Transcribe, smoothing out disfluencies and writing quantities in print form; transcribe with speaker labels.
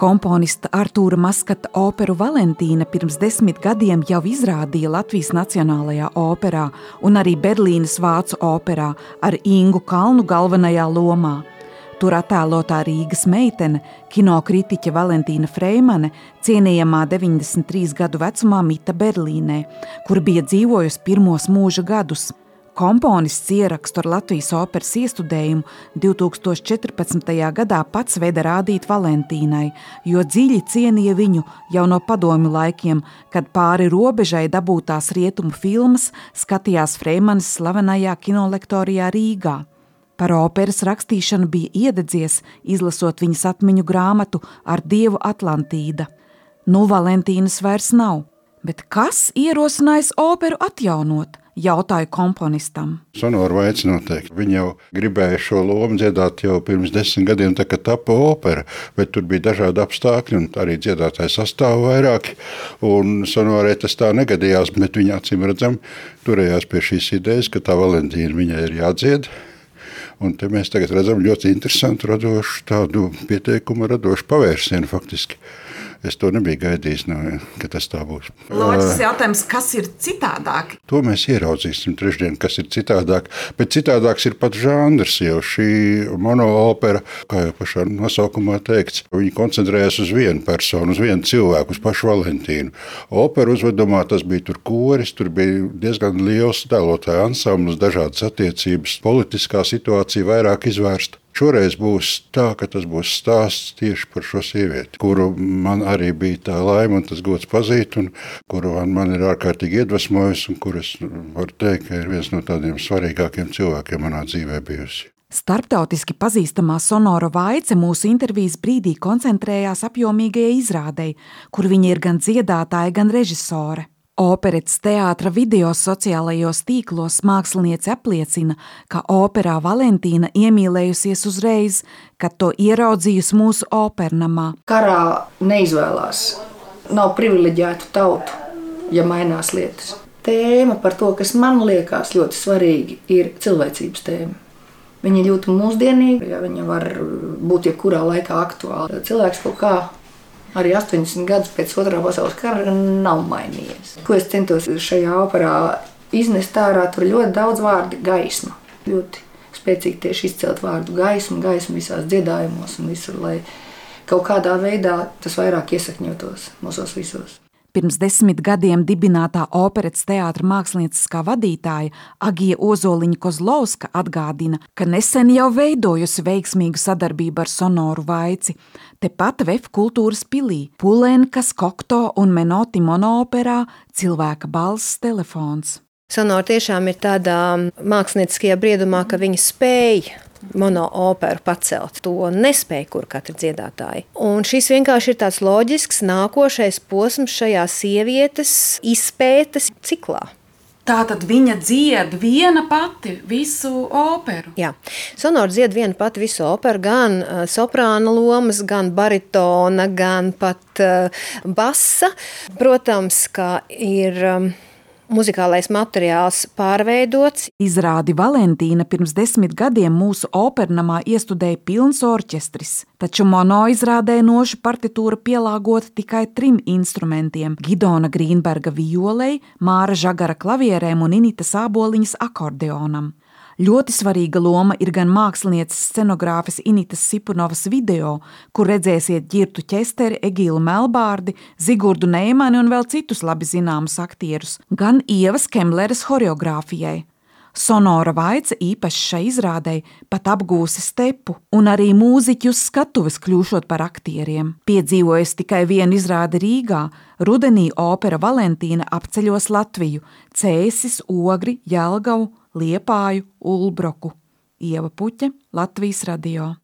Speaker 1: Komponista Artūra Maskata operu Valentīna pirms 10 gadiem jau izrādīja Latvijas Nacionālajā operā un arī Berlīnes Vācu operā ar Ingu Kalnu galvenajā lomā. Tur attēlotā Rīgas meitene, kinokritiķe Valentīna Freimane, cienījamā 93 gadu vecumā mita Berlīnē, kur bija dzīvojusi pirmos mūža gadus. Komponists ierakstu ar Latvijas operas iestudējumu 2014. gadā pats veda rādīt Valentīnai, jo dziļi cienīja viņu jau no padomju laikiem, kad pāri robežai dabūtās rietumu filmas skatījās Freimanes slavenajā kinolektorijā Rīgā. Par operas rakstīšanu bija iededzies, izlasot viņas atmiņu grāmatu Ar dievu Atlantīda. Nu, Valentīnas vairs nav, bet kas ierosinājis operu atjaunot? Jautāju komponistam.
Speaker 2: Sonora Vaica noteikti. Viņa jau gribēja šo lomu dziedāt jau pirms 10 gadiem, tā kā tapa opera, bet tur bija dažādi apstākļi un arī dziedātāji sastāvu vairāki. Un Sonorai tas tā negadījās, bet viņa acīm redzam turējās pie šīs idejas, ka tā Valentīna viņai ir jādzied. Un te mēs tagad redzam ļoti interesantu radošu tādu pieteikumu, radošu pavērsienu faktiski. Es to nebiju gaidījis, ka tas tā būs.
Speaker 1: Loģisks jautājums, kas ir citādāk?
Speaker 2: To mēs ieraudzīsim trešdien, kas ir citādāk. Bet citādāks ir pat žanrs, jo šī monoopera, kā jau pašā nosaukumā teikts, viņi koncentrējas uz vienu personu, uz vienu cilvēku, uz pašu Valentīnu. Opera uzvedumā tas bija tur koris, tur bija diezgan liels tēlotāju ansamblis, dažādas attiecības, politiskā situācija vairāk izvērsta. Šoreiz būs tā, ka tas būs stāsts tieši par šo sievieti, kuru man arī bija tā laime un tas gods pazīt, un kuru man ir ārkārtīgi iedvesmojusi, un kuras, varu teikt, ka ir viens no tādiem svarīgākiem cilvēkiem manā dzīvē bijusi.
Speaker 1: Starptautiski pazīstamā Sonora Vaica mūsu intervijas brīdī koncentrējās apjomīgajai izrādei, kur viņa ir gan dziedātāja, gan režisore. Operetes teātra video sociālajos tīklos māksliniece apliecina, ka operā Valentīna iemīlējusies uzreiz, kad to ieraudzījusi mūsu opernamā.
Speaker 3: Karā neizvēlās. Nav privileģētu tautu, ja mainās lietas. Tēma par to, kas man liekas ļoti svarīgi, ir cilvēcības tēma. Viņa ir ļoti mūsdienīga, ja viņa var būt jebkurā laikā aktuāla. Cilvēks kaut kā arī 80 gadus pēc Otrā pasaules kara nav mainījies. Ko es centos šajā operā iznest ārā, tur ļoti daudz vārdu gaisma. Ļoti spēcīgi tieši izcelt vārdu gaismu visās dziedājumos un visur, lai kaut kādā veidā tas vairāk iesakņotos mūsos visos.
Speaker 1: Pirms 10 gadiem dibinātā operetes teātra mākslinieckā vadītāja Agija Ozoliņa-Kozlovska atgādina, ka nesen jau veidojusi veiksmīgu sadarbību ar Sonoru Vaici. Tepat VF kultūras pilī, Pulenkas, Kokto un Menoti monooperā Cilvēka balss telefons.
Speaker 4: Sonora tiešām ir tādā mākslinieckajā briedumā, ka viņa spēja monooperu pacelt. To nespēja kur katra dziedātāja. Un šis vienkārši ir tāds loģisks nākošais posms šajā sievietes izpētes ciklā.
Speaker 1: Tātad viņa dzied viena pati visu operu?
Speaker 4: Jā, Sonora dzied viena pati visu operu, gan soprāna lomas, gan baritona, gan pat basa. Protams, ka ir muzikālais materiāls pārveidots.
Speaker 1: Izrādi Valentīna pirms 10 gadiem mūsu opernamā iestudēja pilns orķestris, taču monoizrādē nošu partitūra pielāgota tikai 3 instrumentiem – Gidona Grīnberga violei, Māra Žagara klavierēm un Initas Āboliņas akordeonam. Ļoti svarīga loma ir gan mākslinieces scenogrāfes Initas Sipunovas video, kur redzēsiet Ģirtu Ķesteri, Egilu Melbārdi, Zigurdu Neimani un vēl citus labi zināmus aktierus, gan Ievas Kemleres horeogrāfijai. Sonora Vaica īpaši šai izrādei pat apgūsi stepu, un arī mūziķi uz skatuves kļūšot par aktieriem. Piedzīvojusi tikai vienu izrādi Rīgā, rudenī opera Valentīna apceļos Latviju, Cēsis, Ogri, Jelgavu, Liepāju, Ulbroku. Ieva Puķe, Latvijas radio.